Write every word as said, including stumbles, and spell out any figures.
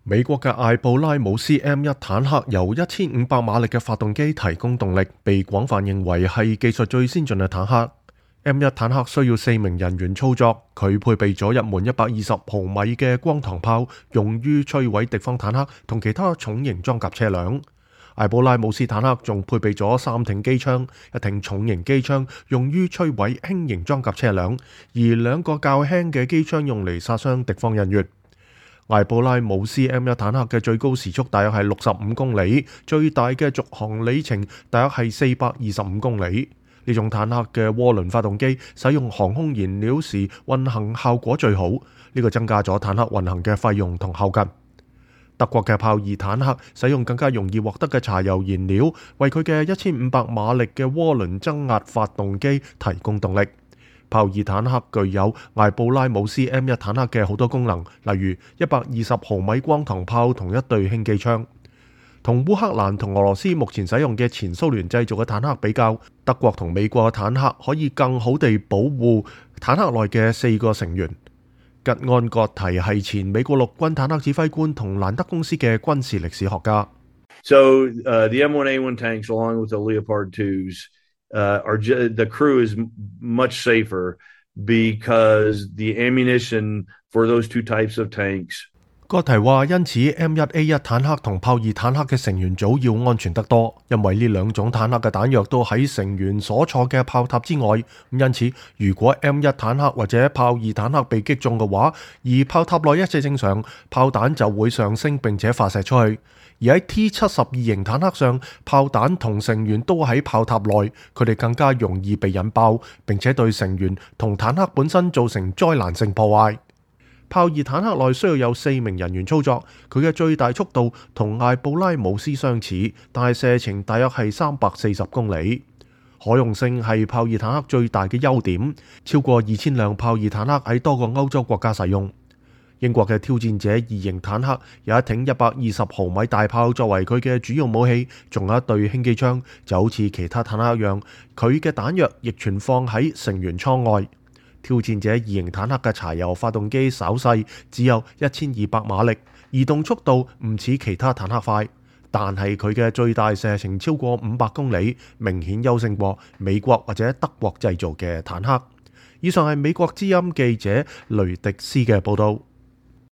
美國嘅艾布拉姆斯 M 一 坦克由一千五百馬力嘅發動機提供動力，被廣泛認為係技術最先進嘅坦克。M 一 坦克需要四名人員操作，佢配備咗一門一百二十毫米嘅光膛炮，用於摧毀敵方坦克同其他重型裝甲車輛。艾布拉姆斯坦克仲配備咗三挺機槍，一挺重型機槍用於摧毀輕型裝甲車輛，而兩個較輕嘅機槍用嚟殺傷敵方人員。艾布拉姆斯 M 一 坦克嘅最高時速大約係六十五公里，最大嘅續航里程大約係四百二十五公里。呢種坦克嘅渦輪發動機使用航空燃料時運行效果最好，呢個增加咗坦克運行嘅費用同後勤。德國嘅豹二坦克使用更加容易獲得嘅柴油燃料，為佢嘅一千五百馬力嘅渦輪增壓發動機提供動力。豹二坦克具有艾布拉姆斯 M 一 坦克嘅好多功能，例如一百二十毫米光膛炮同一對輕機槍。同烏克蘭同俄羅斯目前使用嘅前蘇聯製造嘅坦克比較，德國同美國嘅坦克可以更好地保護坦克內嘅四個成員。吉安葛提係前美國陸軍坦克指揮官同蘭德公司嘅軍事歷史學家。So, uh, the M one A one tanks, along with the Leopard twos, uh, are the crew is much safer because the ammunition for those two types of tanks。葛提話，因此 M 一 A 一 坦克同豹二坦克嘅成員組要安全得多，因為呢兩種坦克嘅彈藥都喺成員所坐嘅炮塔之外。因此，如果 M 一 坦克或者豹二坦克被擊中嘅話，而炮塔內一切正常，炮彈就會上升並且發射出去。而喺 T 七十二型坦克上，炮彈同成員都喺炮塔內，佢哋更加容易被引爆，並且對成員同坦克本身造成災難性破壞。豹二坦克內需要有四名人員操作，佢嘅最大速度同艾布拉姆斯相似，但係射程大約係三百四十公里。可用性係豹二坦克最大嘅優點，超過二千輛豹二坦克喺多個歐洲國家使用。英國嘅挑戰者二型坦克有一挺一百二十毫米大炮作為佢嘅主要武器，仲有一對輕機槍，就好似其他坦克一樣，佢嘅彈藥亦存放喺成員艙外。挑戰者二型坦克嘅柴油發動機稍細，只有一千二百馬力，移動速度唔似其他坦克快，但係佢嘅最大射程超過五百公里，明顯優勝過美國或者德國製造嘅坦克。以上係美國之音記者雷迪斯嘅報道。